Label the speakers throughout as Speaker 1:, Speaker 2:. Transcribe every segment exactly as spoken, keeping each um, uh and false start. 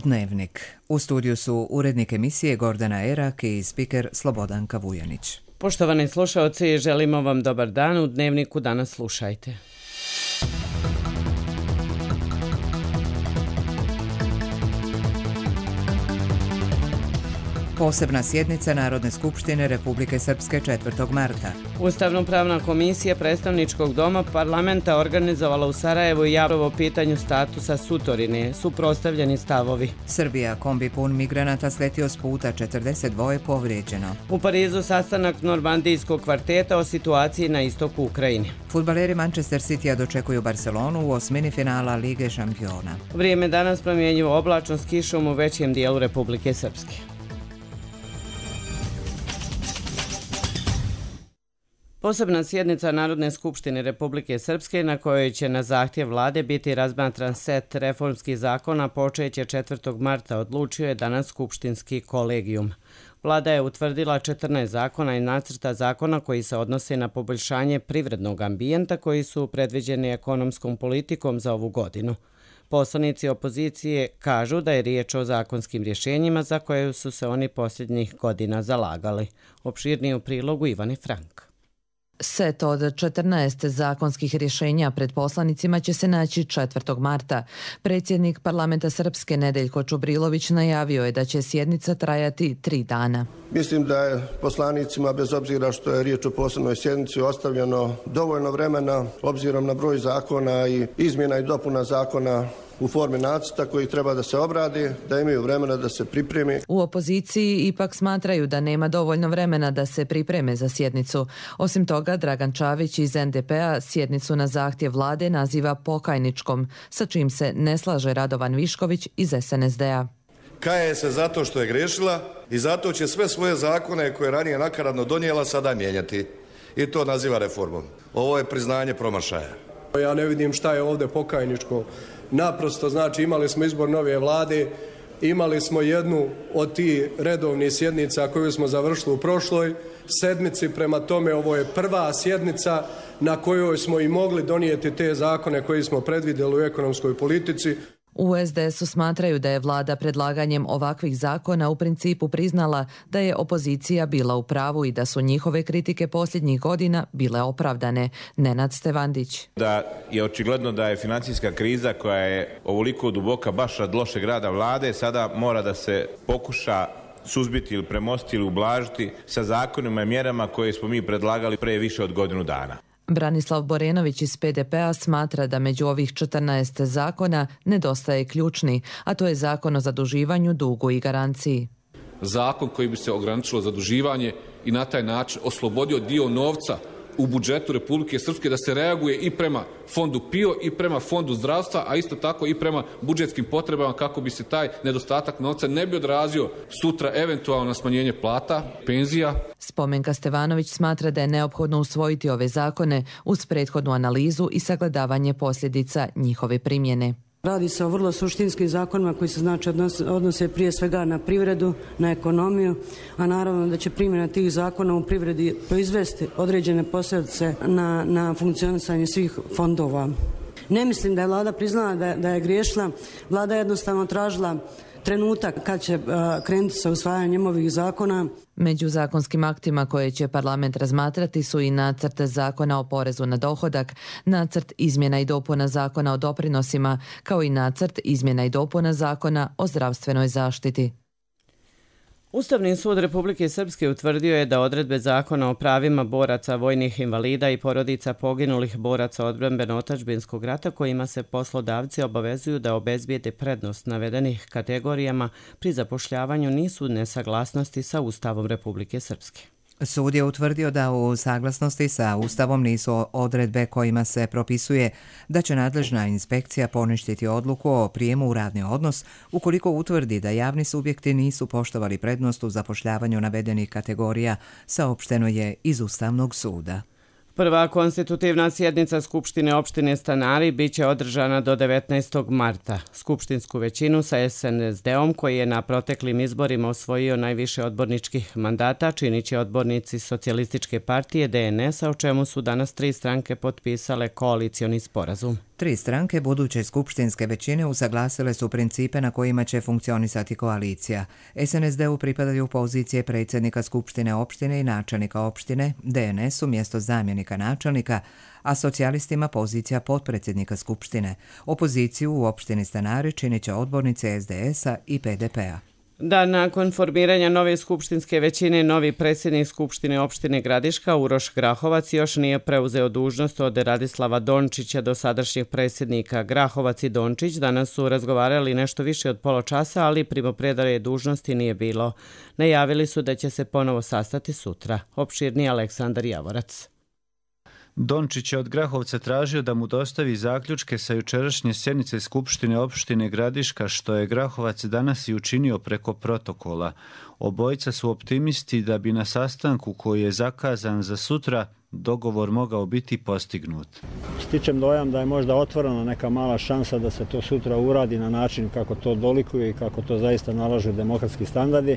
Speaker 1: Dnevnik. U studiju su urednik emisije Gordana Erak i spiker Slobodanka Vujanić.
Speaker 2: Poštovani slušaoci, želimo vam dobar dan. U Dnevniku danas slušajte.
Speaker 1: Posebna sjednica Narodne skupštine Republike Srpske četvrtog marta.
Speaker 2: Ustavno-pravna komisija predstavničkog doma parlamenta organizovala u Sarajevu javno pitanju statusa Sutorine, suprotstavljeni stavovi.
Speaker 1: Srbija, kombi pun migranata sletio s puta, četrdeset dva povrijeđeno.
Speaker 2: U Parizu sastanak normandijskog kvarteta o situaciji na istoku Ukrajine.
Speaker 1: Fudbaleri Manchester Citya dočekuju Barcelonu u osmini finala Lige šampiona.
Speaker 2: Vrijeme danas promjenjivo, oblačno s kišom u većem dijelu Republike Srpske. Posebna sjednica Narodne skupštine Republike Srpske na kojoj će na zahtjev vlade biti razmatran set reformskih zakona počeće četvrtog marta odlučio je danas skupštinski kolegijum. Vlada je utvrdila četrnaest zakona i nacrta zakona koji se odnose na poboljšanje privrednog ambijenta koji su predviđeni ekonomskom politikom za ovu godinu. Poslanici opozicije kažu da je riječ o zakonskim rješenjima za koje su se oni posljednjih godina zalagali. Opširnije u prilogu Ivani Frank.
Speaker 3: Set od četrnaest zakonskih rješenja pred poslanicima će se naći četvrtog marta. Predsjednik parlamenta Srpske Nedeljko Čubrilović najavio je da će sjednica trajati tri dana.
Speaker 4: Mislim da je poslanicima, bez obzira što je riječ o posebnoj sjednici, ostavljeno dovoljno vremena obzirom na broj zakona i izmjena i dopuna zakona u formi nacrta koji treba da se obradi, da imaju vremena da se pripremi.
Speaker 3: U opoziciji ipak smatraju da nema dovoljno vremena da se pripreme za sjednicu. Osim toga, Dragan Čavić iz en de pe-a sjednicu na zahtjev vlade naziva pokajničkom, sa čim se ne slaže Radovan Višković iz es en es de-a.
Speaker 5: Kaje se zato što je grešila i zato će sve svoje zakone koje je ranije nakaradno donijela sada mijenjati. I to naziva reformom. Ovo je priznanje promašaja.
Speaker 6: Ja ne vidim šta je ovdje pokajničko. Naprosto, znači, imali smo izbor nove vlade, imali smo jednu od tih redovnih sjednica koju smo završili u prošloj sedmici, prema tome ovo je prva sjednica na kojoj smo i mogli donijeti te zakone koje smo predvidjeli u ekonomskoj politici.
Speaker 3: U es de es-u smatraju da je vlada predlaganjem ovakvih zakona u principu priznala da je opozicija bila u pravu i da su njihove kritike posljednjih godina bile opravdane. Nenad Stevandić.
Speaker 7: Da je očigledno da je financijska kriza koja je ovoliko duboka baš od lošeg rada vlade sada mora da se pokuša suzbiti ili premostiti ili ublažiti sa zakonima i mjerama koje smo mi predlagali pre više od godinu dana.
Speaker 3: Branislav Borenović iz pe de pe-a smatra da među ovih četrnaest zakona nedostaje ključni, a to je zakon o zaduživanju, dugu i garanciji.
Speaker 8: Zakon koji bi se ograničilo zaduživanje i na taj način oslobodio dio novca u budžetu Republike Srpske da se reaguje i prema fondu pe i o i prema fondu zdravstva, a isto tako i prema budžetskim potrebama kako bi se taj nedostatak novca ne bi odrazio sutra eventualno na smanjenje plata, penzija.
Speaker 3: Spomenka Stevanović smatra da je neophodno usvojiti ove zakone uz prethodnu analizu i sagledavanje posljedica njihove primjene.
Speaker 9: Radi se o vrlo suštinskim zakonima koji se znači odnose, odnose prije svega na privredu, na ekonomiju, a naravno da će primjena tih zakona u privredi proizvesti određene posljedice na, na funkcionisanje svih fondova. Ne mislim da je vlada priznala da, da je griješila, vlada je jednostavno tražila trenutak kad će uh, krenuti sa usvajanjem ovih zakona.
Speaker 3: Među zakonskim aktima koje će parlament razmatrati su i nacrt zakona o porezu na dohodak, nacrt izmjena i dopuna zakona o doprinosima, kao i nacrt izmjena i dopuna zakona o zdravstvenoj zaštiti.
Speaker 2: Ustavni sud Republike Srpske utvrdio je da odredbe zakona o pravima boraca, vojnih invalida i porodica poginulih boraca odbrambeno-otadžbinskog rata kojima se poslodavci obavezuju da obezbijede prednost navedenih kategorijama pri zapošljavanju nisu u nesaglasnosti sa Ustavom Republike Srpske.
Speaker 1: Sud je utvrdio da u saglasnosti sa Ustavom nisu odredbe kojima se propisuje da će nadležna inspekcija poništiti odluku o prijemu u radni odnos ukoliko utvrdi da javni subjekti nisu poštovali prednost u zapošljavanju navedenih kategorija, saopšteno je iz Ustavnog suda.
Speaker 2: Prva konstitutivna sjednica Skupštine opštine Stanari biće održana do devetnaestog marta. Skupštinsku većinu sa es en es de-om, koji je na proteklim izborima osvojio najviše odborničkih mandata, činit će odbornici Socijalističke partije de en es-a, o čemu su danas tri stranke potpisale koalicioni sporazum.
Speaker 1: Tri stranke buduće skupštinske većine usaglasile su principe na kojima će funkcionisati koalicija. es en es de-u pripadaju pozicije predsjednika skupštine opštine i načelnika opštine, de en es-u mjesto zamjenika načelnika, a socijalistima pozicija potpredsjednika skupštine. Opoziciju u opštini Stanari činit će odbornice es de es-a i pe de pe-a.
Speaker 2: Da, nakon formiranja nove skupštinske većine, novi predsjednik Skupštine opštine Gradiška, Uroš Grahovac, još nije preuzeo dužnost od Radislava Dončića, dosadašnjeg predsjednika. Grahovac i Dončić danas su razgovarali nešto više od pola časa, ali primopredaje dužnosti nije bilo. Najavili su da će se ponovo sastati sutra. Opširni Aleksandar Javorac.
Speaker 10: Dončić je od Grahovca tražio da mu dostavi zaključke sa jučerašnje sjednice Skupštine opštine Gradiška, što je Grahovac danas i učinio preko protokola. Obojica su optimisti da bi na sastanku koji je zakazan za sutra dogovor mogao biti postignut.
Speaker 11: Stičem dojam da je možda otvorena neka mala šansa da se to sutra uradi na način kako to dolikuje i kako to zaista nalažu demokratski standardi,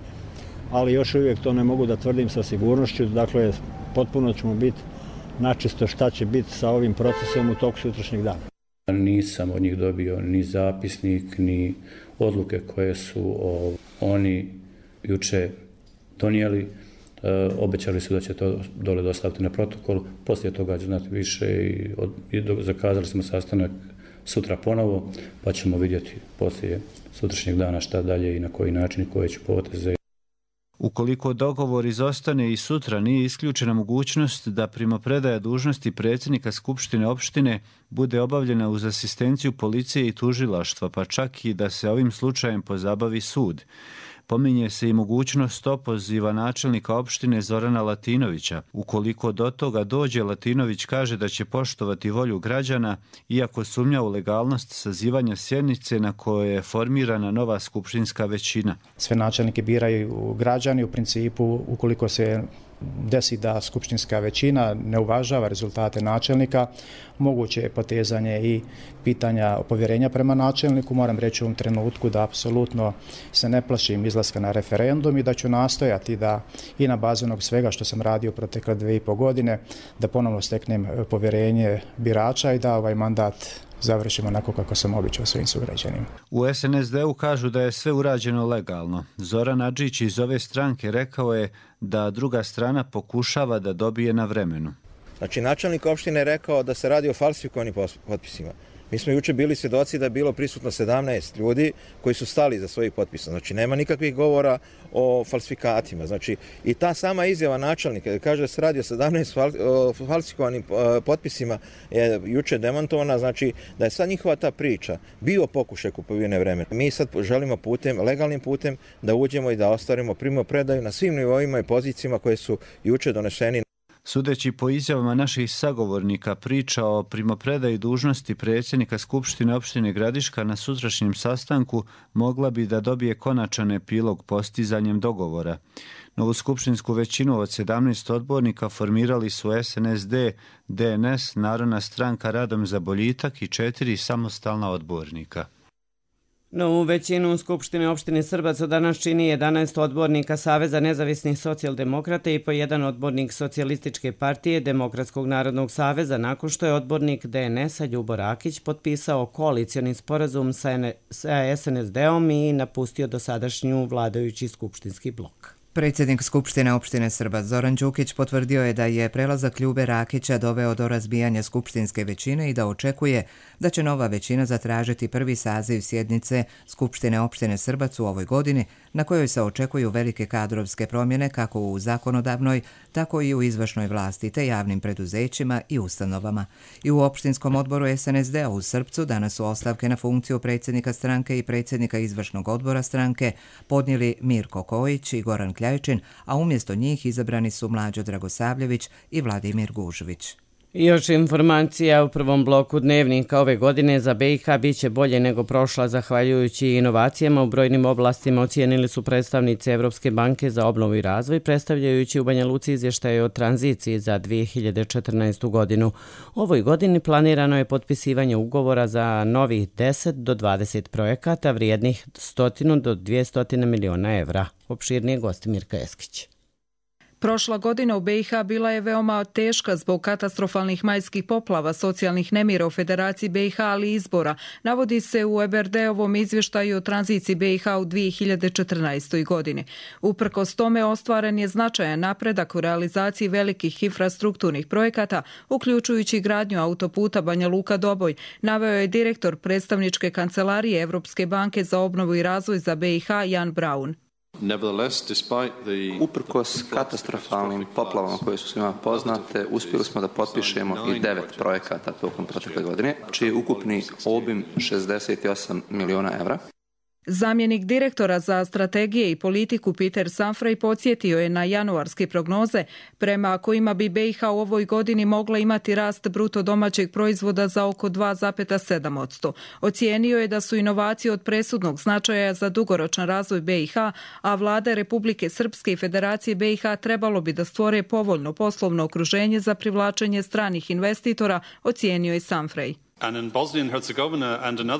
Speaker 11: ali još uvijek to ne mogu da tvrdim sa sigurnošću. Dakle, potpuno ćemo biti načisto šta će biti sa ovim procesom u toku sutrašnjeg dana.
Speaker 12: Nisam od njih dobio ni zapisnik, ni odluke koje su o, oni juče donijeli. E, obećali su da će to dole dostaviti na protokol. Poslije toga ću znati više i, od, i do, zakazali smo sastanak sutra ponovo, pa ćemo vidjeti poslije sutrašnjeg dana šta dalje i na koji način i koje ću poteze.
Speaker 10: Ukoliko dogovor izostane i sutra, nije isključena mogućnost da primopredaja dužnosti predsjednika Skupštine opštine bude obavljena uz asistenciju policije i tužilaštva, pa čak i da se ovim slučajem pozabavi sud. Pominje se i mogućnost opoziva načelnika opštine Zorana Latinovića. Ukoliko do toga dođe, Latinović kaže da će poštovati volju građana, iako sumnja u legalnost sazivanja sjednice na kojoj je formirana nova skupštinska većina.
Speaker 13: Sve načelnike biraju građani, u principu ukoliko se desi da skupštinska većina ne uvažava rezultate načelnika, moguće je potezanje i pitanja povjerenja prema načelniku. Moram reći u ovom trenutku da apsolutno se ne plašim izlaska na referendum i da ću nastojati da i na bazi onog svega što sam radio protekle dve i po godine, da ponovno steknem povjerenje birača i da ovaj mandat završimo onako kako sam običao svojim sugrađanima.
Speaker 10: U es en es de-u kažu da je sve urađeno legalno. Zoran Adžić iz ove stranke rekao je da druga strana pokušava da dobije na vremenu.
Speaker 14: Znači, načelnik opštine je rekao da se radi o falsifikovanim potpisima. Mi smo juče bili svjedoci da je bilo prisutno sedamnaest ljudi koji su stali za svojih potpisa. Znači, nema nikakvih govora o falsifikatima. Znači, i ta sama izjava načelnika da kaže da se radi o sedamnaest falsifikovanim potpisima je juče demantovana. Znači, da je sad njihova ta priča bio pokušaj kupovine vremena. Mi sad želimo putem, legalnim putem da uđemo i da ostvarimo primopredaju na svim nivoima i pozicijama koje su juče doneseni.
Speaker 10: Sudeći po izjavama naših sagovornika, priča o primopredaji dužnosti predsjednika Skupštine opštine Gradiška na sutrašnjem sastanku mogla bi da dobije konačan epilog postizanjem dogovora. Novu skupštinsku većinu od sedamnaest odbornika formirali su es en es de, de en es, Narodna stranka Radom za boljitak i četiri samostalna odbornika.
Speaker 2: Novu većinu u Skupštini opštine Srbac danas čini jedanaest odbornika Saveza nezavisnih socijaldemokrata i po jedan odbornik Socijalističke partije Demokratskog narodnog saveza, nakon što je odbornik de en es-a Ljubo Rakić potpisao koalicioni sporazum sa es en es de-om i napustio dosadašnju vladajući skupštinski blok.
Speaker 1: Predsjednik Skupštine opštine Srbac Zoran Đukić potvrdio je da je prelazak Ljube Rakića doveo do razbijanja skupštinske većine i da očekuje da će nova većina zatražiti prvi saziv sjednice Skupštine opštine Srbac u ovoj godini, na kojoj se očekuju velike kadrovske promjene kako u zakonodavnoj, tako i u izvršnoj vlasti te javnim preduzećima i ustanovama. I u opštinskom odboru es en es de-a u Srpcu danas su ostavke na funkciju predsjednika stranke i predsjednika izvršnog odbora stranke podnijeli Mirko Kojić i Goran Kljajčin, a umjesto njih izabrani su Mlađo Dragosavljević i Vladimir Gužović.
Speaker 2: Još informacija u prvom bloku dnevnika ove godine za be i ha biće bolje nego prošla zahvaljujući inovacijama u brojnim oblastima, ocijenili su predstavnici Evropske banke za obnovu i razvoj, predstavljajući u Banja Luci izvještaje o tranziciji za dvije hiljade četrnaestu godinu. U ovoj godini planirano je potpisivanje ugovora za novih deset do dvadeset projekata vrijednih sto do dvjesto miliona evra. Opširnije gosti Mirka Eskić.
Speaker 15: Prošla godina u be i ha bila je veoma teška zbog katastrofalnih majskih poplava, socijalnih nemira u Federaciji be i ha, ali i izbora, navodi se u E B R D-ovom izvještaju o tranziciji be i ha u dvije hiljade četrnaestoj. godini. Uprkos tome ostvaren je značajan napredak u realizaciji velikih infrastrukturnih projekata, uključujući gradnju autoputa Banja Luka-Doboj, naveo je direktor predstavničke kancelarije Evropske banke za obnovu i razvoj za be i ha Jan Braun.
Speaker 16: Uprkos katastrofalnim poplavama koje su svima poznate, uspjeli smo da potpišemo i devet projekata tokom protekle godine, čiji je ukupni obim šezdeset osam miliona evra.
Speaker 15: Zamjenik direktora za strategije i politiku Peter Sanfrey podsjetio je na januarske prognoze prema kojima bi be i ha u ovoj godini mogla imati rast bruto domaćeg proizvoda za oko dva zarez sedam posto. Ocijenio je da su inovacije od presudnog značaja za dugoročan razvoj be i ha, a vlade Republike Srpske i Federacije be i ha trebalo bi da stvore povoljno poslovno okruženje za privlačenje stranih investitora, ocijenio je Sanfrey.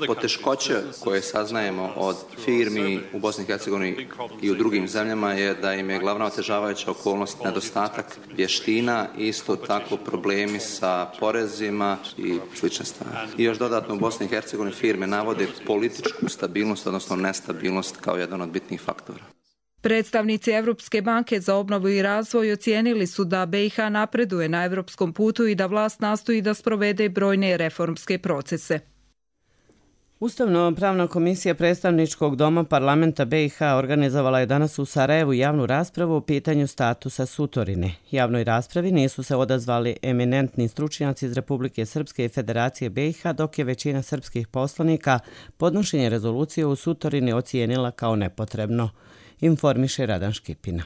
Speaker 16: Poteškoće koje saznajemo od firmi u Bosni i Hercegovini i u drugim zemljama je da im je glavna otežavajuća okolnost nedostatak vještina i isto tako problemi sa porezima i slične stvari. I još dodatno u Bosni i Hercegovini firme navode političku stabilnost, odnosno nestabilnost kao jedan od bitnih faktora.
Speaker 15: Predstavnici Evropske banke za obnovu i razvoj ocijenili su da be i ha napreduje na evropskom putu i da vlast nastoji da sprovede brojne reformske procese.
Speaker 2: Ustavno-pravna komisija predstavničkog doma parlamenta be i ha organizovala je danas u Sarajevu javnu raspravu o pitanju statusa Sutorine. Javnoj raspravi nisu se odazvali eminentni stručnjaci iz Republike Srpske i Federacije be i ha, dok je većina srpskih poslanika podnošenje rezolucije u Sutorini ocijenila kao nepotrebno. Informiše Radan Škipina.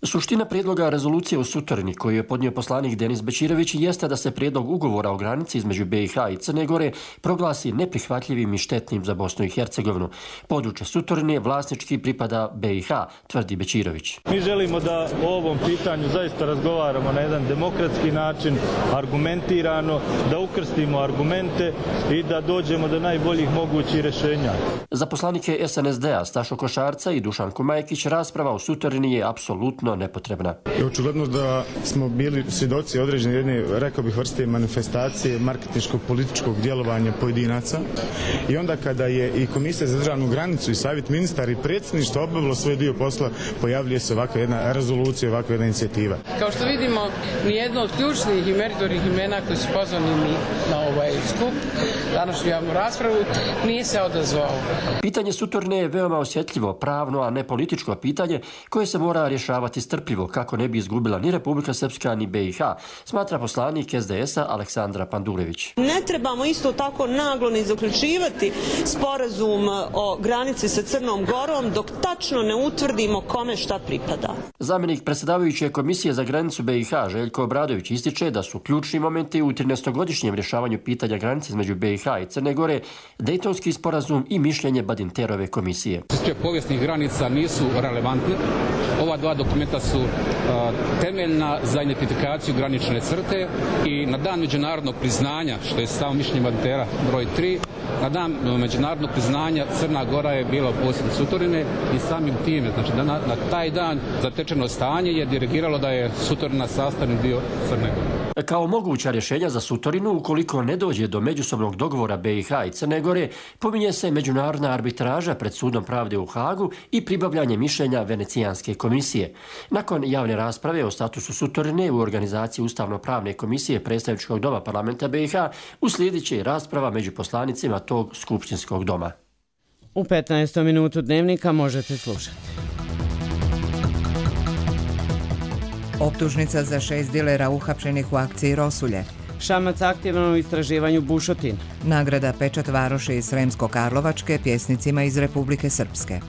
Speaker 17: Suština prijedloga rezolucije u Sutorini koju je podnio poslanik Denis Bećirović jeste da se prijedlog ugovora o granici između be i ha i Crne Gore proglasi neprihvatljivim i štetnim za Bosnu i Hercegovinu. Područje Sutorine vlasnički pripada be i ha, tvrdi Bećirović.
Speaker 18: Mi želimo da o ovom pitanju zaista razgovaramo na jedan demokratski način, argumentirano, da ukrstimo argumente i da dođemo do najboljih mogućih rješenja.
Speaker 17: Za poslanike es en es de-a Stašo Košarca i Dušan Kumajkić rasprava u Sutorini je apsolutno nepotrebna.
Speaker 19: Očigledno da smo bili svjedoci određene jedne, rekao bih, vrste manifestacije marketinškog političkog djelovanja pojedinaca i onda kada je i Komisija za državnu granicu i Savjet ministara i predsjedništvo obavilo svoj dio posla, pojavljuje se ovakva jedna rezolucija, ovakva jedna inicijativa.
Speaker 20: Kao što vidimo, nijedno od ključnih i meritornih imena koji su pozvani na ovaj skup, današnju javnu raspravu, nije se odazvao.
Speaker 17: Pitanje Sutorine je veoma osjetljivo, pravno, a ne političko pitanje koje se mora rješavati strpljivo kako ne bi izgubila ni Republika Srpska ni be i ha, smatra poslanik es de es-a Aleksandra Pandurević.
Speaker 21: Ne trebamo isto tako naglo ni zaključivati sporazum o granici sa Crnom Gorom dok tačno ne utvrdimo kome šta pripada.
Speaker 17: Zamjenik predsjedavajuće komisije za granicu be i ha Željko Obradović ističe da su ključni momenti u trinaestogodišnjem rješavanju pitanja granice između be i ha i Crne Gore Dejtonski sporazum i mišljenje Badinterove komisije.
Speaker 22: Sve povijesnih granica nisu relevantne. Ova dva dokumenta su uh, temeljna za identifikaciju granične crte i na dan međunarodnog priznanja, što je samo mišljenje Badintera broj tri, na dan međunarodnog priznanja Crna Gora je bila u posjedu Sutorine i samim time, znači na, na taj dan zatečeno stanje je dirigiralo da je Sutorina sastavni dio Crne Gore.
Speaker 17: Kao moguća rješenja za Sutorinu, ukoliko ne dođe do međusobnog dogovora be i ha i Crne Gore, pominje se međunarodna arbitraža pred sudom pravde u Hagu i pribavljanje mišljenja Venecijanske komisije. Nakon javne rasprave o statusu Sutorine u organizaciji Ustavno-pravne komisije predstavničkog doma parlamenta be i ha uslijedit će i rasprava među poslanicima tog skupštinskog doma.
Speaker 2: U petnaestom minutu dnevnika možete slušati.
Speaker 1: Optužnica za šest dilera uhapšenih u akciji Rosulje.
Speaker 2: Šamac aktivan u istraživanju bušotina.
Speaker 1: Nagrada Pečat Varoše iz Sremsko-Karlovačke pjesnicima iz Republike Srpske.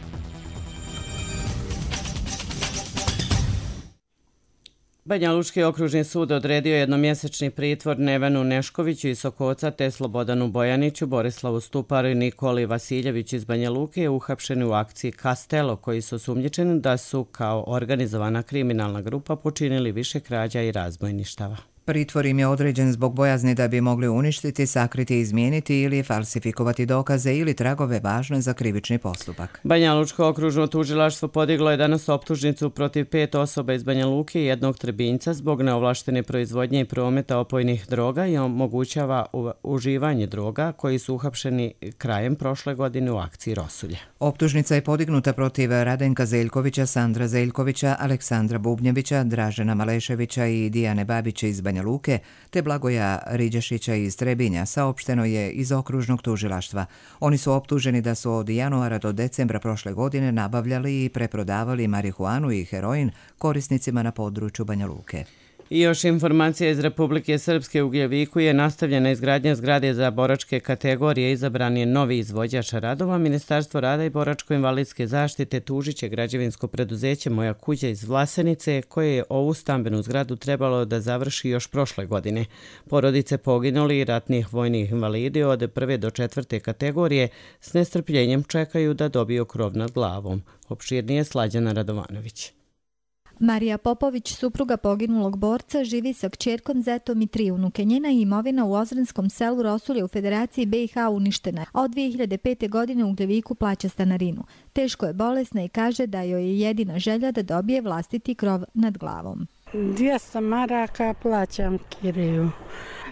Speaker 2: Banjalučki okružni sud odredio jednomjesečni pritvor Nevenu Neškoviću iz Sokoca te Slobodanu Bojaniću, Borislavu Stuparu i Nikoli Vasiljević iz Banja Luke uhapšeni u akciji Kastelo, koji su osumnjičeni da su kao organizovana kriminalna grupa počinili više krađa i razbojništava.
Speaker 1: Pritvor im je određen zbog bojazni da bi mogli uništiti, sakriti, izmijeniti ili falsifikovati dokaze ili tragove važne za krivični postupak.
Speaker 2: Banja Lučko okružno tužilaštvo podiglo je danas optužnicu protiv pet osoba iz Banja Luke i jednog Trebinjca zbog neovlaštene proizvodnje i prometa opojnih droga i omogućava uživanje droga koji su uhapšeni krajem prošle godine u akciji Rosulje.
Speaker 1: Optužnica je podignuta protiv Radenka Zeljkovića, Sandra Zeljkovića, Aleksandra Bubnjevića, Dražena Maleševića i Dijane Babića iz Banja Luke, te Blagoja Riđešića iz Trebinja, saopšteno je iz okružnog tužilaštva. Oni su optuženi da su od januara do decembra prošle godine nabavljali i preprodavali marihuanu i heroin korisnicima na području Banja Luke.
Speaker 2: I još informacija iz Republike Srpske. U Gljeviku je nastavljena izgradnja zgrade za boračke kategorije. Izabran je novi izvođač radova. Ministarstvo rada i boračko-invalidske zaštite tužit će građevinsko preduzeće Moja kuća iz Vlasenice, koje je ovu stambenu zgradu trebalo da završi još prošle godine. Porodice poginuli i ratnih vojnih invalidi od prve do četvrte kategorije s nestrpljenjem čekaju da dobiju krov nad glavom. Opširnije Slađana Radovanović.
Speaker 4: Marija Popović, supruga poginulog borca, živi sa kćerkom, zetom i tri unuke. Njena imovina u Ozrenskom selu Rosulje u Federaciji B i H uništena, a od dvije hiljade pete. godine u Gljeviku plaća stanarinu. Teško je bolesna i kaže da joj je jedina želja da dobije vlastiti krov nad glavom.
Speaker 5: dvjesto maraka plaćam kiriju.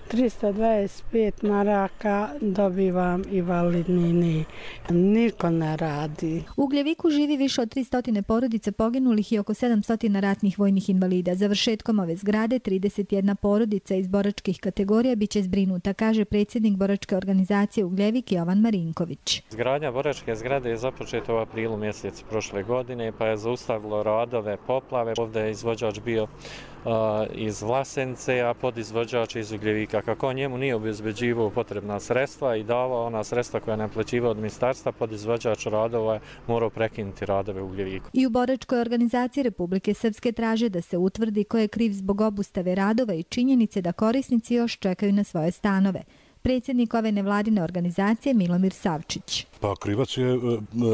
Speaker 5: trista dvadeset pet maraka dobivam invalidnine. Niko ne radi.
Speaker 4: U Gljeviku živi više od tristo porodica poginulih i oko sedamsto ratnih vojnih invalida. Završetkom ove zgrade trideset jedna porodica iz boračkih kategorija biće zbrinuta, kaže predsjednik boračke organizacije u Gljevik Jovan Marinković.
Speaker 23: Izgradnja boračke zgrade je započeta u aprilu mjesecu prošle godine, pa je zaustavilo radove poplave. Ovdje je izvođač bio iz Vlasenice, a podizvođač iz Ugljevika. Kako njemu nije obezbeđivao potrebna sredstva i davao ona sredstva koja je naplaćivao od ministarstva, podizvođač radova morao prekinuti radove u Ugljeviku.
Speaker 4: I u boračkoj organizaciji Republike Srpske traže da se utvrdi ko je kriv zbog obustave radova i činjenice da korisnici još čekaju na svoje stanove. Predsjednik ove nevladine organizacije Milomir Savčić.
Speaker 24: Pa krivac je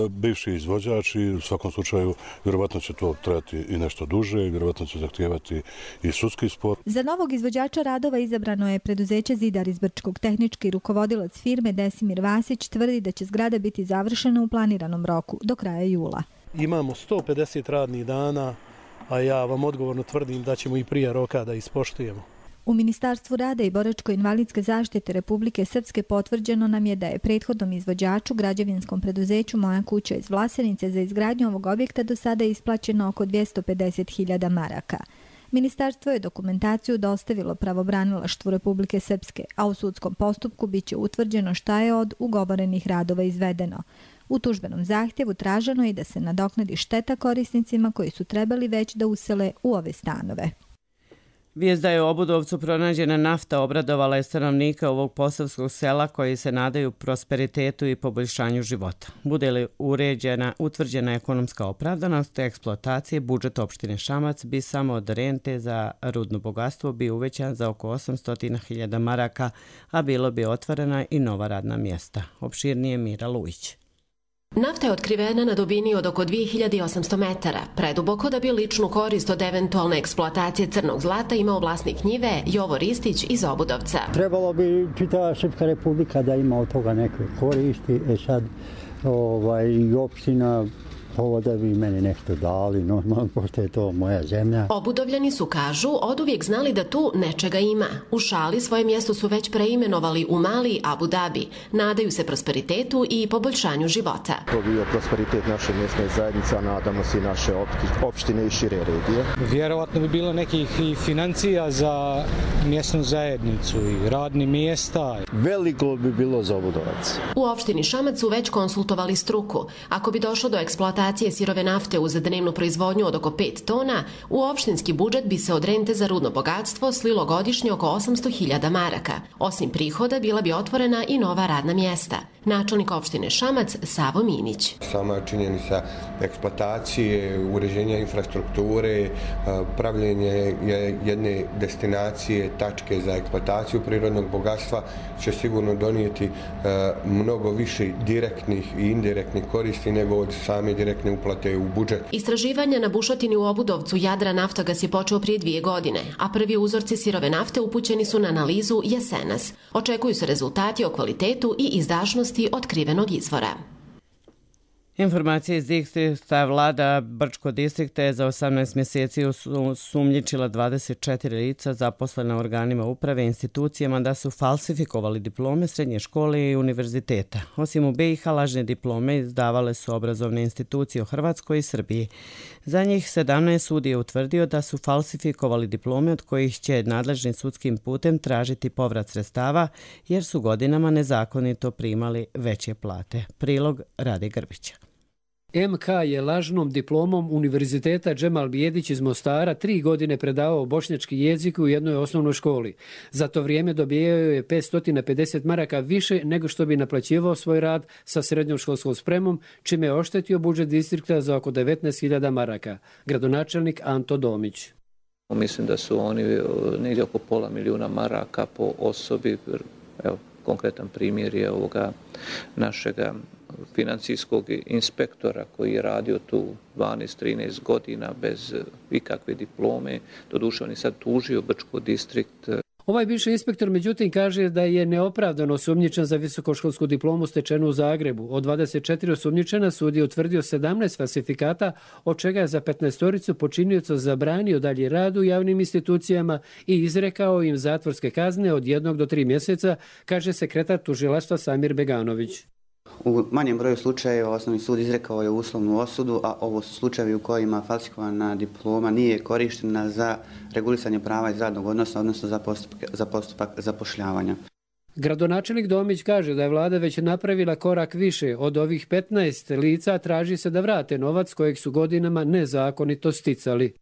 Speaker 24: bivši izvođač i u svakom slučaju vjerovatno će to trajati i nešto duže i vjerovatno će zahtijevati i sudski spor.
Speaker 4: Za novog izvođača radova izabrano je preduzeće Zidar iz Brčkog. Tehnički rukovodilac firme Desimir Vasić tvrdi da će zgrada biti završena u planiranom roku do kraja jula.
Speaker 25: Imamo sto pedeset radnih dana, a ja vam odgovorno tvrdim da ćemo i prije roka da ispoštujemo.
Speaker 4: U Ministarstvu rada i boračko-invalidske zaštite Republike Srpske potvrđeno nam je da je prethodnom izvođaču, građevinskom preduzeću Moja kuća iz Vlasenice, za izgradnju ovog objekta do sada isplaćeno oko dvjesto pedeset hiljada maraka. Ministarstvo je dokumentaciju dostavilo pravobranilaštvu Republike Srpske, a u sudskom postupku biće utvrđeno šta je od ugovorenih radova izvedeno. U tužbenom zahtjevu traženo je da se nadoknadi šteta korisnicima koji su trebali već da usele u ove stanove.
Speaker 2: Vijest da je u Obudovcu pronađena nafta obradovala je stanovnika ovog posavskog sela koji se nadaju prosperitetu i poboljšanju života. Bude li uređena, utvrđena ekonomska opravdanost eksploatacije, budžet opštine Šamac bi samo od rente za rudno bogatstvo bio uvećan za oko osamsto hiljada maraka, a bilo bi otvorena i nova radna mjesta. Opširnije Mira Lujić.
Speaker 26: Nafta je otkrivena na dubini od oko dvije hiljade osamsto metara, preduboko da bi ličnu korist od eventualne eksploatacije crnog zlata imao vlasnik njive Jovo Ristić iz Obudovca.
Speaker 27: Trebalo bi čitava Srpska republika da ima od toga neke koristi, e sad ovaj, i opština ovo da bi meni nešto dali, normalno, pošto je to moja zemlja.
Speaker 26: Obudovljani su, kažu, oduvijek znali da tu nečega ima. U šali svoje mjesto su već preimenovali u Mali Abu Dhabi. Nadaju se prosperitetu i poboljšanju života.
Speaker 28: To bio prosperitet naše mjesne zajednice, nadamo se i naše opštine i šire regije.
Speaker 29: Vjerovatno bi bilo nekih i financija za mjesnu zajednicu i radni mjesta.
Speaker 28: Veliko bi bilo za Obudovac.
Speaker 26: U opštini Šamac su već konsultovali struku. Ako bi došlo do eksploatacije sirove nafte uz dnevnu proizvodnju od oko pet tona, u opštinski budžet bi se od rente za rudno bogatstvo slilo godišnje oko osamsto hiljada maraka. Osim prihoda, bila bi otvorena i nova radna mjesta. Načelnik opštine Šamac Savo Minić.
Speaker 3: Sama činjenica eksploatacije, uređenja infrastrukture, pravljenje jedne destinacije, tačke za eksploataciju prirodnog bogatstva će sigurno donijeti mnogo više direktnih i indirektnih koristi nego od same direktne uplate u budžet.
Speaker 26: Istraživanja na bušotini u Obudovcu Jadra Naftogas je počeo prije dvije godine, a prvi uzorci sirove nafte upućeni su na analizu jesenas. Očekuju se rezultati o kvalitetu i izdašnosti otkrivenog izvora.
Speaker 2: Informacije iz distrikta vlada Brčko distrikta je za osamnaest mjeseci sumnjičila dvadeset četiri lica zaposlena u organima uprave i institucijama da su falsifikovali diplome srednje škole i univerziteta. Osim u B i H lažne diplome izdavale su obrazovne institucije u Hrvatskoj i Srbiji. Za njih sedamnaest sud je utvrdio da su falsifikovali diplome od kojih će nadležni sudskim putem tražiti povrat sredstava jer su godinama nezakonito primali veće plate. Prilog Rade Grbića.
Speaker 6: M K je lažnom diplomom Univerziteta Džemal Bijedić iz Mostara tri godine predavao bošnjački jezik u jednoj osnovnoj školi. Za to vrijeme dobijao je petsto pedeset maraka više nego što bi naplaćivao svoj rad sa srednjom školskom spremom, čime je oštetio budžet distrikta za oko devetnaest hiljada maraka. Gradonačelnik Anto Domić.
Speaker 7: Mislim da su oni negdje oko pola milijuna maraka po osobi. Evo, konkretan primjer je ovoga našega financijskog inspektora koji je radio tu dvanaest trinaest godina bez ikakve diplome. Doduše on je sad tužio Brčko distrikt.
Speaker 6: Ovaj bivši inspektor međutim kaže da je neopravdano osumnjičen za visokoškolsku diplomu stečenu u Zagrebu. Od dvadeset četiri osumnjičena sud je utvrdio sedamnaest falsifikata, od čega je za petnaestoricu počinioca zabranio dalje rad u javnim institucijama i izrekao im zatvorske kazne od jednog do tri mjeseca, kaže sekretar tužilaštva Samir Beganović.
Speaker 8: U manjem broju slučajeva osnovni sud izrekao je uslovnu osudu, a ovo su slučajevi u kojima falsifikovana diploma nije korištena za regulisanje prava iz radnog odnosa, odnosno za postupak, za postupak zapošljavanja.
Speaker 6: Gradonačelnik Domić kaže da je vlada već napravila korak više. Od ovih petnaest lica traži se da vrate novac kojeg su godinama nezakonito sticali.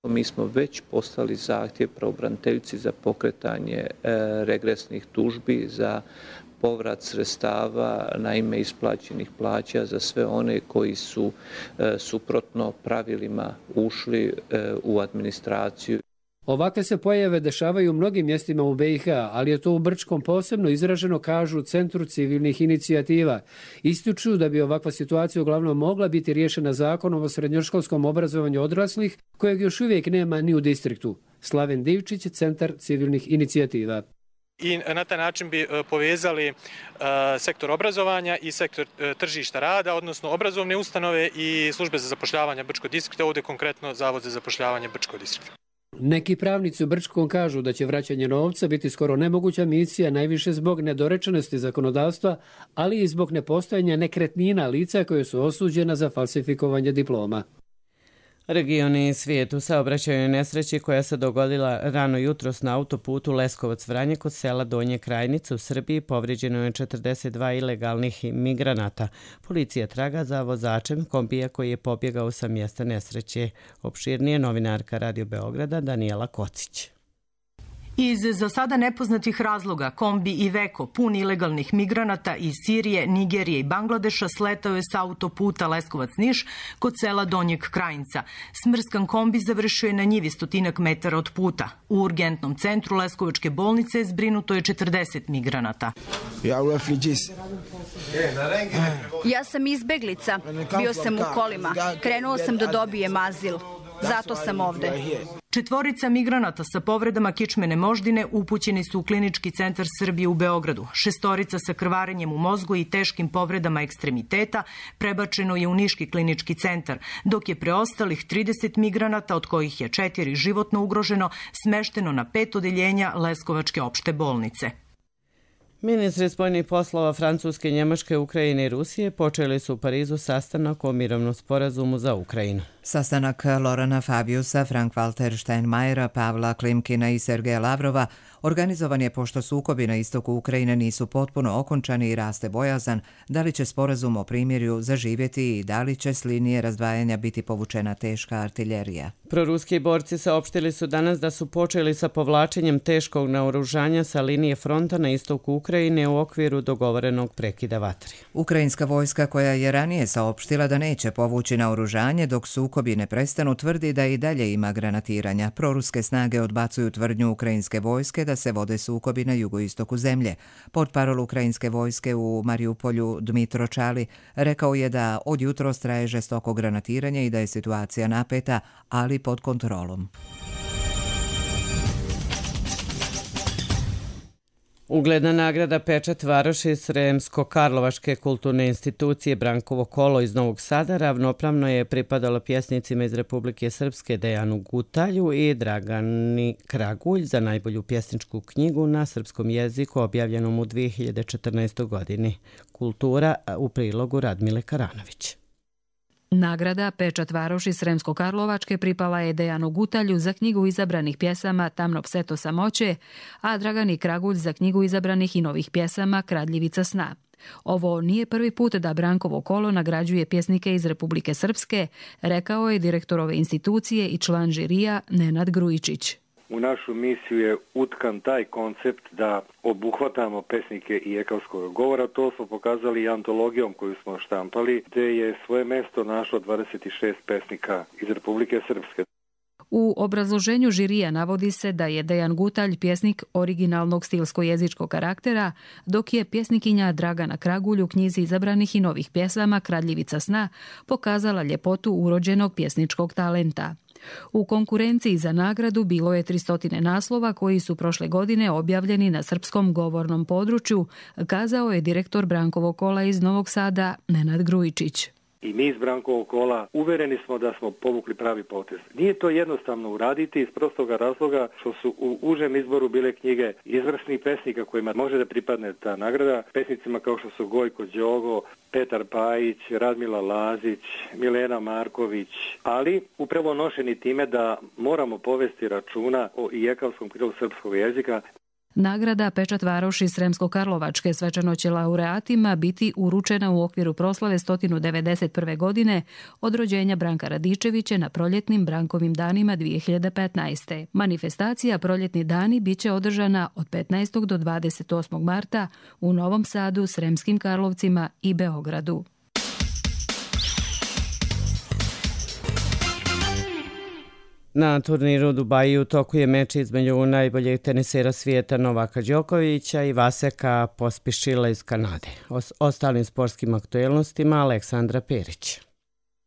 Speaker 7: Mi smo već poslali zahtjev pravobraniteljici za pokretanje e, regresnih tužbi za povrat sredstava na ime isplaćenih plaća za sve one koji su e, suprotno pravilima ušli e, u administraciju.
Speaker 6: Ovakve se pojave dešavaju u mnogim mjestima u B i H, ali je to u Brčkom posebno izraženo, kažu u Centru civilnih inicijativa. Ističu da bi ovakva situacija uglavnom mogla biti riješena zakonom o srednjoškolskom obrazovanju odraslih, kojeg još uvijek nema ni u distriktu. Slaven Divčić, Centar civilnih inicijativa.
Speaker 9: I na taj način bi povezali sektor obrazovanja i sektor tržišta rada, odnosno obrazovne ustanove i službe za zapošljavanje Brčkog distrikta, ovdje konkretno Zavod za zapošljavanje Brčkog distrikta.
Speaker 6: Neki pravnici u Brčkom kažu da će vraćanje novca biti skoro nemoguća misija, najviše zbog nedorečenosti zakonodavstva, ali i zbog nepostojanja nekretnina lica koje su osuđena za falsifikovanje diploma.
Speaker 2: Regioni svijetu saobraćajnoj nesreći koja se dogodila rano jutros na autoputu Leskovac-Vranje kod sela Donje Krajnice u Srbiji povrijeđeno je četrdeset dva ilegalnih migranata. Policija traga za vozačem kombija koji je pobjegao sa mjesta nesreće. Opširnije novinarka Radio Beograda Danijela Kocić.
Speaker 11: Iz za sada nepoznatih razloga kombi Iveco, pun ilegalnih migranata iz Sirije, Nigerije i Bangladeša, sletao je sa autoputa Leskovac-Niš kod sela Donjeg Krajinca. Smrskan kombi završio je na njivi stotinak metara od puta. U urgentnom centru Leskovačke bolnice zbrinuto je četrdeset migranata.
Speaker 12: Ja sam izbeglica, bio sam u kolima, krenuo sam da dobijem azil. Zato sam ovde.
Speaker 11: Četvorica migranata sa povredama kičmene moždine upućeni su u Klinički centar Srbije u Beogradu. Šestorica sa krvarenjem u mozgu i teškim povredama ekstremiteta prebačeno je u Niški klinički centar, dok je preostalih trideset migranata, od kojih je četiri životno ugroženo, smešteno na pet odeljenja Leskovačke opšte bolnice.
Speaker 2: Ministri spoljnih poslova Francuske, Njemačke, Ukrajine i Rusije počeli su u Parizu sastanak o mirovnom sporazumu za Ukrajinu.
Speaker 1: Sastanak Lorana Fabiusa, Frank-Walter Steinmeiera, Pavla Klimkina i Sergeja Lavrova organizovan je pošto sukobi na istoku Ukrajine nisu potpuno okončani i raste bojazan da li će sporazum o primirju zaživjeti i da li će s linije razdvajanja biti povučena teška artiljerija.
Speaker 2: Proruski borci saopštili su danas da su počeli sa povlačenjem teškog naoružanja sa linije fronta na istoku Ukrajine u okviru dogovorenog prekida vatre.
Speaker 1: Ukrajinska vojska, koja je ranije saopštila da neće povući naoružanje dok sukobi ne prestanu, tvrdi da i dalje ima granatiranja. Proruske snage odbacuju tvrdnju ukrajinske vojske da se vode sukobi na jugoistoku zemlje. Portparol ukrajinske vojske u Mariupolju Dmitro Čali rekao je da od jutros traje žestoko granatiranje i da je situacija napeta, ali pod kontrolom.
Speaker 2: Ugledna nagrada Pečat Varoši Sremsko-Karlovačke kulturne institucije Brankovo kolo iz Novog Sada ravnopravno je pripadalo pjesnicima iz Republike Srpske Dejanu Gutalju i Dragani Kragulj za najbolju pjesničku knjigu na srpskom jeziku objavljenom u dvije hiljade četrnaestoj. godini. Kultura u prilogu Radmile Karanović.
Speaker 10: Nagrada Pečat Varoši Sremsko-Karlovačke pripala je Dejanu Gutalju za knjigu izabranih pjesama Tamno pseto samoće, a Dragani Kragulj za knjigu izabranih i novih pjesama Kradljivica sna. Ovo nije prvi put da Brankovo kolo nagrađuje pjesnike iz Republike Srpske, rekao je direktor ove institucije i član žirija Nenad Grujičić.
Speaker 13: U našu misiju je utkan taj koncept da obuhvatamo pesnike i ekavskog govora. To smo pokazali i antologijom koju smo štampali, gdje je svoje mjesto našlo dvadeset šest pesnika iz Republike Srpske.
Speaker 10: U obrazloženju žirija navodi se da je Dejan Gutalj pjesnik originalnog stilsko-jezičkog karaktera, dok je pjesnikinja Dragana Kragulj u knjizi izabranih i novih pjesama Kradljivica sna pokazala ljepotu urođenog pjesničkog talenta. U konkurenciji za nagradu bilo je tristo naslova koji su prošle godine objavljeni na srpskom govornom području, kazao je direktor Brankovog kola iz Novog Sada Nenad Grujičić.
Speaker 13: I mi iz Brankovog kola uvereni smo da smo povukli pravi potez. Nije to jednostavno uraditi iz prostoga razloga što su u užem izboru bile knjige izvrsnih pesnika kojima može da pripadne ta nagrada. Pesnicima kao što su Gojko Đogo, Petar Pajić, Radmila Lazić, Milena Marković, ali upravo nošeni time da moramo povesti računa o ijekavskom krilu srpskog jezika.
Speaker 10: Nagrada Pečat Varoši Sremsko-Karlovačke svečano će laureatima biti uručena u okviru proslave sto devedeset prve. godine od rođenja Branka Radičevića na proljetnim Brankovim danima dvije hiljade petnaeste. Manifestacija Proljetni dani biće održana od petnaestog do dvadeset osmog marta u Novom Sadu, Sremskim Karlovcima i Beogradu.
Speaker 2: Na turniru u Dubaju u toku je meč između najboljeg tenisera svijeta Novaka Đokovića i Vaseka Pospišila iz Kanade. O ostalim sportskim aktuelnostima Aleksandra Perić.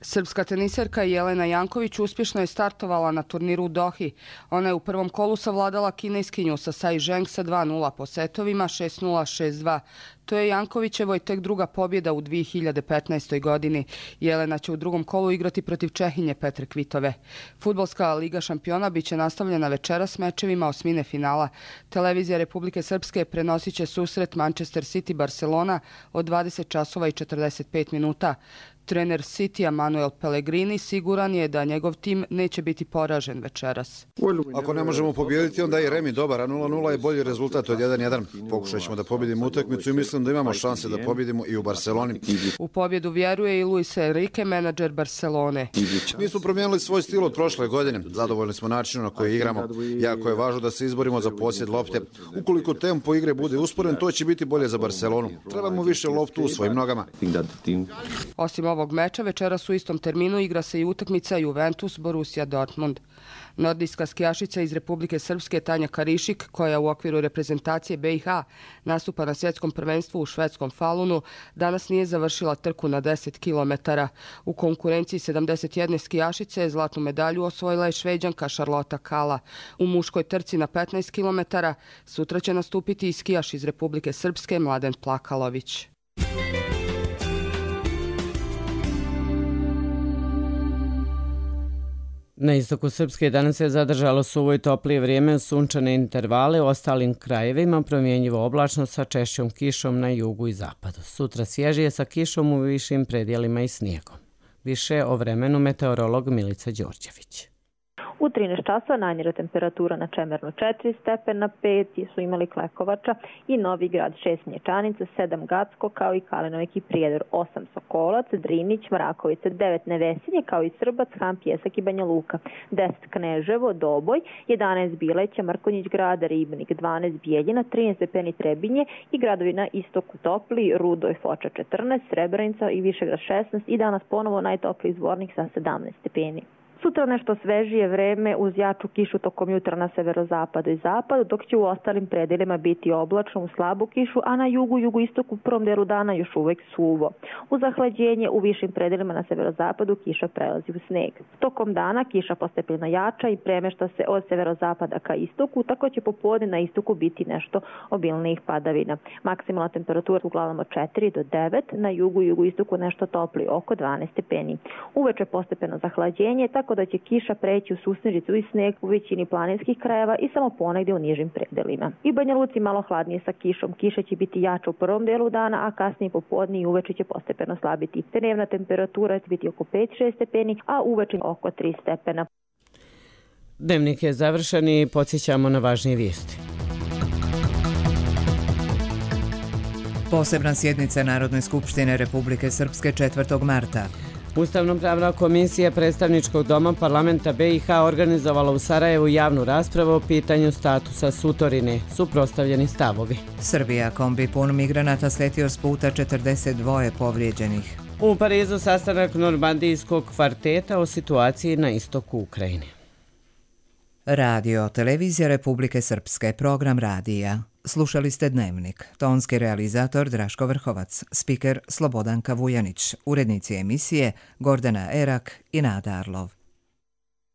Speaker 14: Srpska teniserka Jelena Janković uspješno je startovala na turniru u Dohi. Ona je u prvom kolu savladala kineskinju Sasai Zheng sa dva nula po setovima šest nula šest dva. To je Jankovićevoj tek druga pobjeda u dvije hiljade petnaestoj. godini. Jelena će u drugom kolu igrati protiv Čehinje Petre Kvitove. Fudbalska liga šampiona biće nastavljena večeras mečevima osmine finala. Televizija Republike Srpske prenosit će susret Manchester City Barcelona od dvadeset časova i četrdeset pet minuta. Trener Citya Manuel Pellegrini siguran je da njegov tim neće biti poražen večeras.
Speaker 15: Ako ne možemo pobijediti, onda je remi dobar, a nula nula je bolji rezultat od jedan jedan. Pokušat ćemo da pobjedimo utakmicu i mislim da imamo šanse da pobjedimo i u Barceloni.
Speaker 14: U pobjedu vjeruje i Luis Enrique, menadžer Barcelone.
Speaker 15: Mi smo promijenili svoj stil od prošle godine. Zadovoljni smo načinom na koji igramo. Jako je važno da se izborimo za posjed lopte. Ukoliko tempo igre bude usporen, to će biti bolje za Barcelonu. Trebamo više loptu u svojim nogama.
Speaker 14: Osim ovog meča, večeras u istom terminu igra se i utakmica Juventus Borussia Dortmund. Nordijska skijašica iz Republike Srpske Tanja Karišik, koja u okviru reprezentacije B i H nastupa na svjetskom prvenstvu u švedskom Falunu, danas nije završila trku na deset kilometara. U konkurenciji sedamdeset jedne skijašice zlatnu medalju osvojila je Šveđanka Šarlota Kala. U muškoj trci na petnaest kilometara sutra će nastupiti i skijaš iz Republike Srpske Mladen Plakalović.
Speaker 2: Na istoku Srpske danas je zadržalo suvo i toplije vrijeme, sunčane intervale, u ostalim krajevima promjenjivo oblačno sa češćom kišom na jugu i zapadu. Sutra svježije sa kišom u višim predjelima i snijegom. Više o vremenu meteorolog Milica Đorđević.
Speaker 5: U trinaest časova najniža temperatura na Čemernu četiri stepena, pet su imali Klekovača i Novi Grad, šest Mlječanica, sedam Gacko, kao i Kalinovik i Prijedor, osam Sokolac, Drinić, Mrakovica, devet Nevesinje, kao i Srbac, Han, Pjesak i Banja Luka, deset Kneževo, Doboj, jedanaest Bileća, Mrkonjić Grad, Ribnik, dvanaest Bijeljina, trinaest stepeni Trebinje i gradovi na istoku topli, Rudo i Foča četrnaest, Srebrenica i Višegrad šesnaest i danas ponovo najtopliji Zvornik sa sedamnaest stepeni. Sutra nešto svežije vreme uz jaču kišu tokom jutra na severozapadu i zapadu, dok će u ostalim predelima biti oblačno u slabu kišu, a na jugu, jugoistoku u prvom delu dana još uvek suvo. U zahlađenje u višim predelima na severozapadu kiša prelazi u sneg. Tokom dana kiša postepeno jača i premešta se od severozapada ka istoku, tako će popodne na istoku biti nešto obilnijih padavina. Maksimalna temperatura uglavnom od četiri do devet, na jugu i jugoistoku nešto topli, oko dvanaest stepeni. Uveče postepeno zahlađenje, tako da će kiša preći u susnežicu i sneg u većini planinskih krajeva i samo ponegdje u nižim predelima. I Banja Luci malo hladnije sa kišom. Kiša će biti jača u prvom delu dana, a kasnije popodne i uveče će postepeno slabiti. Dnevna temperatura će biti oko pet do šest stepeni, a uveče oko tri stepena.
Speaker 2: Dnevnik je završen i podsjećamo na važnije vijesti.
Speaker 1: Posebna sjednica Narodne skupštine Republike Srpske četvrtog marta.
Speaker 2: Ustavno-pravna komisija predstavničkog doma parlamenta B i H organizovala u Sarajevu javnu raspravu o pitanju statusa Sutorine, suprotstavljeni stavovi.
Speaker 1: Srbija, kombi pun migranata sletio s puta, četrdeset dva povrijeđenih.
Speaker 2: U Parizu sastanak normandijskog kvarteta o situaciji na istoku Ukrajine.
Speaker 1: Radio, televizija Republike Srpske, program radija. Slušali ste Dnevnik. Tonski realizator Draško Vrhovac, spiker Slobodanka Vujanić, urednici emisije Gordana Erak i Nada Arlov.